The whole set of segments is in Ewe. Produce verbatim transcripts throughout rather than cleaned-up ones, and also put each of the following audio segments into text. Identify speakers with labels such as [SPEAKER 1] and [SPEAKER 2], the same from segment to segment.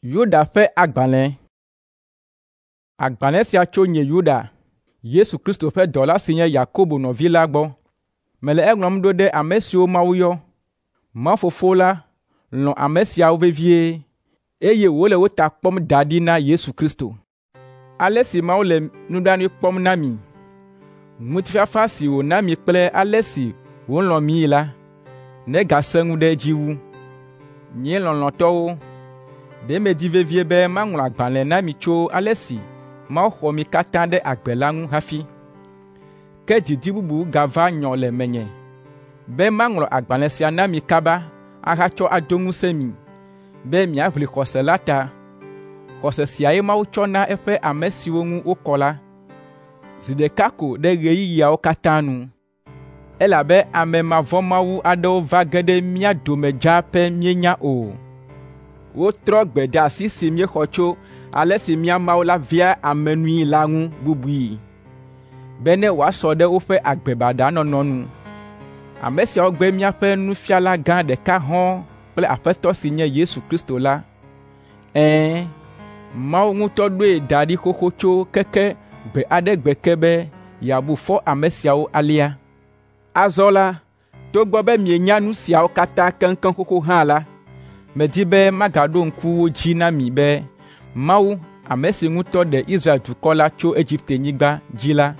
[SPEAKER 1] Yuda ƒe agbalẽ. Agbalẽ sia tso nye Yuda, Yesu Kristo ƒe dɔla si nye Yakobo nɔvi la gbɔ. Mele eŋlɔm ɖo ɖe ame siwo Mawu yɔ. Mawu Fofo la lɔ̃ ame siawo vevie, eye wòle wo ta kpɔm da ɖi na Yesu Kristo. Ale si Mawu le nublanui kpɔm na mi, ŋutifafa si wòna mi kple ale si wòlɔ̃ mii la, negasẽ ŋu ɖe edzi wu. Nye lɔlɔ̃tɔwo, ɖe medi vevie be maŋlɔ agbalẽ na mi tso ale si Mawu xɔ mi katã ɖe agbe la ŋu hafi. Ke didi bubu gava nyɔ le menye be maŋlɔ agbalẽ sia na mi kaba ahatsɔ ado ŋusẽ mi be miaʋli xɔse la ta. Xɔse siae Mawu tsɔ na eƒe ame siwo ŋu wokɔ la, zi ɖeka ko ɖe ɣeyiɣiawo katã nu. Elabe ame mavɔ̃mawu aɖewo va ge ɖe mía dome dzaa pɛ míenya o. Wotrɔ gbedeasi si míexɔ tso ale si mía Mawu la vea ame nui la ŋu bubui, bene wòasɔ ɖe woƒe agbe baɖa nɔnɔ nu. Ame siawo gbe míaƒe Nufiala gã ɖeka hɔ̃ɔ kple Aƒetɔ si nye Yesu Kristo la. Ɛ̃, Mawu ŋutɔ ɖoe da ɖi xoxo tso keke gbe aɖe gbe ke be yeabu fɔ ame siawo alea. Azɔ la, togbɔ be mienya nu siawo katã keŋkeŋ xoxo hã la, medi be magaɖo ŋku wo dzi na mi be Mawu, ame si ŋutɔ ɖe Israel dukɔ la tso Egiptenyigba dzi la,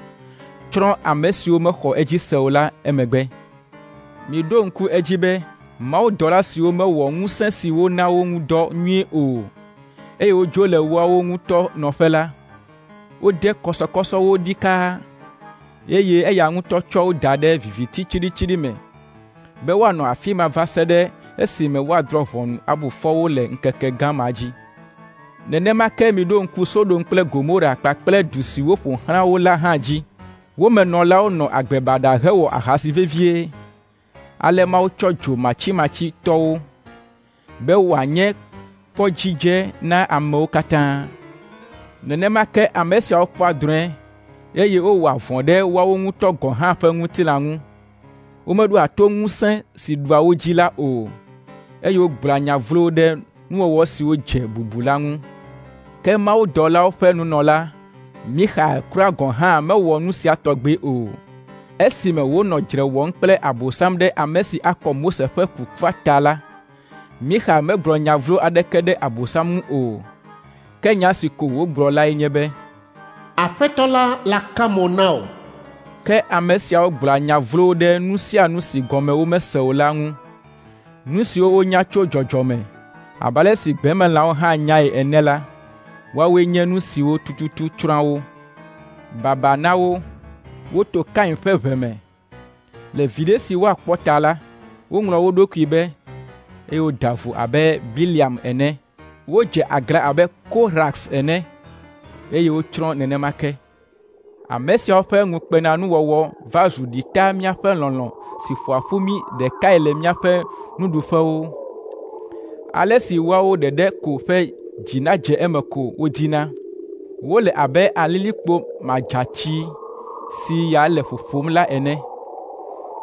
[SPEAKER 1] tsrɔ̃ ame siwo mexɔ edzi se o la emegbe. Miɖo ŋku edzi be mawudɔla siwo mewɔ ŋusẽ si wona wo ŋu dɔ nyuie o, eye wodzo le woawo ŋutɔ nɔƒe la, wode kɔsɔkɔsɔ wo ɖikaa, eye eya ŋutɔ tsɔ wo da ɖe viviti tsiɖitsiɖi me be woanɔ afi ma va se ɖe esime woadrɔ̃ ʋɔnu abu fɔ wo le ŋkeke gã ma dzi. Nenema ke miɖo ŋku Sodom kple Gomora kpakple du siwo ƒo xlã wo la hã dzi. Wo me nɔlawo nɔ agbe baɖa hewɔ ahasi vevie. Ale Mawu tsɔ dzo matsimatsi tɔ wo be wòanye kpɔdzidze na amewo katã. Nenema ke ame siawo kpɔa drɔ̃e, eye wowɔa vɔ̃ ɖe woawo ŋutɔ gɔ̃ hã ƒe ŋutilã ŋu. Womeɖoa to ŋusẽ si ɖua wo dzi la o, eye wogblɔa nya vlowo ɖe nuwɔwɔ siwo dze bubu la ŋu. Ke mawudɔlawo ƒe nunɔla, Mixael kura gɔ̃ hã mewɔ nu sia tɔgbi o. Esime wònɔ dzre wɔm kple Abosam ɖe ame si akɔ Mose ƒe kukua ta la, Mixael megblɔ nya vlo aɖeke ɖe Abosam ŋu o. Ke nya si ko wògblɔ lae nye be,
[SPEAKER 2] “Aƒetɔ la laka mo na wò.”
[SPEAKER 1] Ke ame siawo gblɔa nya vlowo ɖe nu sia nu si gɔme womese o la ŋu. Nu siwo wonya tso dzɔdzɔme, abe ale si gbemelãwo hã nyae ene la, woawoe nye nu siwo tututu tsrɔ̃a wo. Baba na wo! Woto Kain ƒe ʋe me. Le viɖe si woakpɔ ta la, woŋlɔ wo ɖokui be, eye woda vo abe Bileam ene. Wodze aglã abe Korax ene, eye wotsrɔ̃ nenema ke. Ame siawo ƒe ŋukpenanuwɔwɔ va zu ɖita míaƒe lɔlɔ̃ si ƒoa ƒu mí ɖekae le míaƒe nuɖuƒewo. Ale si woawo ɖeɖe ko ƒe dzi nadze eme ko wodina. Wole abe alilikpo madzatsi si ya le ƒoƒom la ene.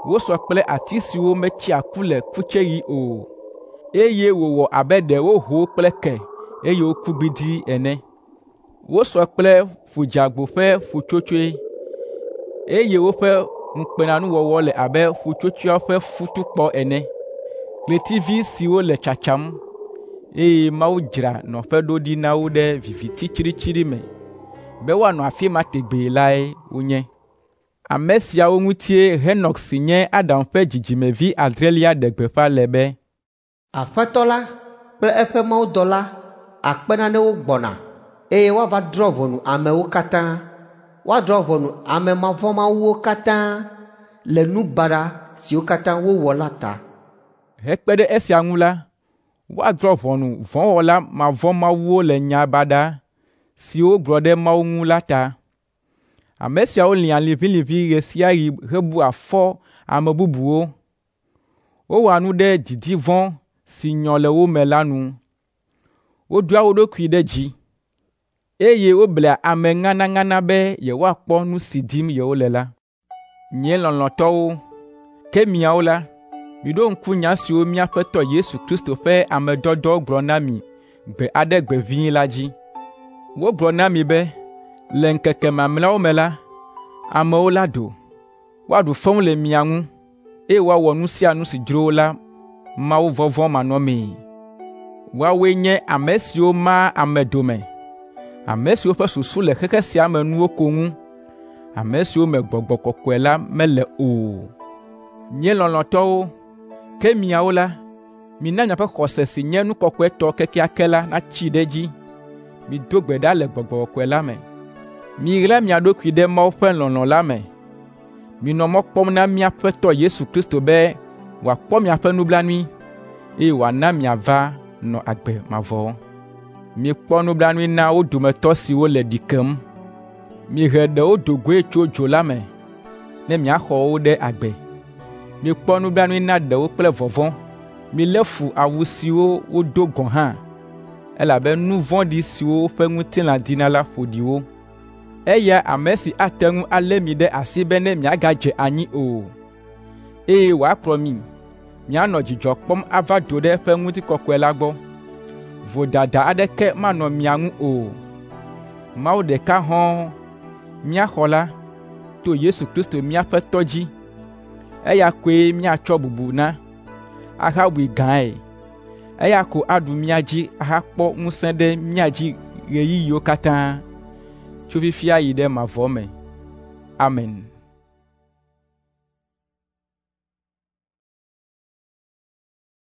[SPEAKER 1] Wosɔ kple ati siwo metsea ku le kutseɣi o, eye wòwɔ abe ɖe woho wo kple ke, eye woku gbidii ene. Wosɔ kple ƒu dzeagbo ƒe ƒutsotsoe, eye woƒe ŋukpenanuwɔwɔ le abe ƒutsotsoeawo ƒe futukpɔ ene. Ɣletivi siwo le tsatsam, eye Mawu dzra nɔƒe ɖo ɖi na wo ɖe viviti tsiɖitsiɖi me be woanɔ afi ma tegbee lae wonye. Ame siawo ŋutie Henɔk si nye Adam ƒe dzidzimevi adrelia ɖe gbeƒã le be,
[SPEAKER 3] “Aƒetɔ la kple eƒe mawudɔla akpe nanewo gbɔna eye woava drɔ̃ ʋɔnu amewo katã. Woadrɔ̃ ʋɔnu ame mavɔ̃mawuwo katã le nu baɖa siwo katã wowɔ la ta.”
[SPEAKER 1] Hekpe ɖe esia ŋu la, woadrɔ̃ ʋɔnu vɔ̃wɔla mavɔ̃mawuwo le nya baɖa siwo wogblɔ ɖe Mawu ŋu la ta. Ame siawo lĩa liʋĩliʋĩ ɣe sia ɣi hebua fɔ ame bubuwo. Wowɔa nu ɖe didi vɔ̃ si nyɔ le wo me la nu. Wodoa wo ɖokui ɖe dzi, eye woblea ame ŋanaŋana be yewoakpɔ nu si dim yewole la. Nye lɔlɔ̃tɔwo, ke miawo la, miɖo ŋku nya siwo mía Aƒetɔ Yesu Kristo ƒe ame dɔdɔwo gblɔ na mi gbe aɖe gbe ʋĩi la dzi. Wogblɔ na mi be le ŋkeke mamlɛawo me la, amewo la ɖo, woaɖu fewu le mia ŋu, eye woawɔ nu sia nu si dzro wo la mawuvɔvɔ̃ manɔmee. Woawoe nye ame siwo maa ame dome, ame siwo ƒe susu le xexe sia me nuwo ko ŋu, ame siwo me Gbɔgbɔ Kɔkɔe la mele o. Nye lɔlɔ̃tɔwo, ke miawo la, mina miaƒe xɔse si nye nu kɔkɔetɔ kekeake la natsi ɖe edzi. Mido gbe ɖa le Gbɔgbɔ Kɔkɔe la me. Miɣla mia ɖokui ɖe Mawu ƒe lɔlɔ̃ la me. Minɔ mɔ kpɔm na mía Aƒetɔ Yesu Kristo be wòakpɔ miaƒe nublanui, eye wòana miava nɔ agbe mavɔ. Mikpɔ nublanui na wo dometɔ siwo le ɖi kem. Mihe ɖewo do goe tso dzo la me, ne miaxɔ wo ɖe agbe. Mikpɔ nublanui na ɖewo kple vɔvɔ̃. Milé fu awu siwo wodo gɔ̃ hã, elabe nu vɔ̃ɖi siwo woƒe ŋutilã dina la ƒo ɖi wo. Eya ame si ate ŋu alé mi ɖe asi bene miagadze anyi o, eye wòakplɔ mi mianɔ dzidzɔ kpɔm ava do ɖe eƒe ŋutikɔkɔe la gbɔ. Vodada aɖeke manɔ mia ŋu o. Mawu ɖeka hɔ̃ɔ, mía xɔla, to Yesu Kristo mía Aƒetɔ dzi. Eya koe míatsɔ bubu na, ahabui gãe. Eya ko aɖu mía dzi ahakpɔ ŋusẽ ɖe mía dzi ɣeyiɣiwo katã, tso fifia yi ɖe mavɔ me. Amen.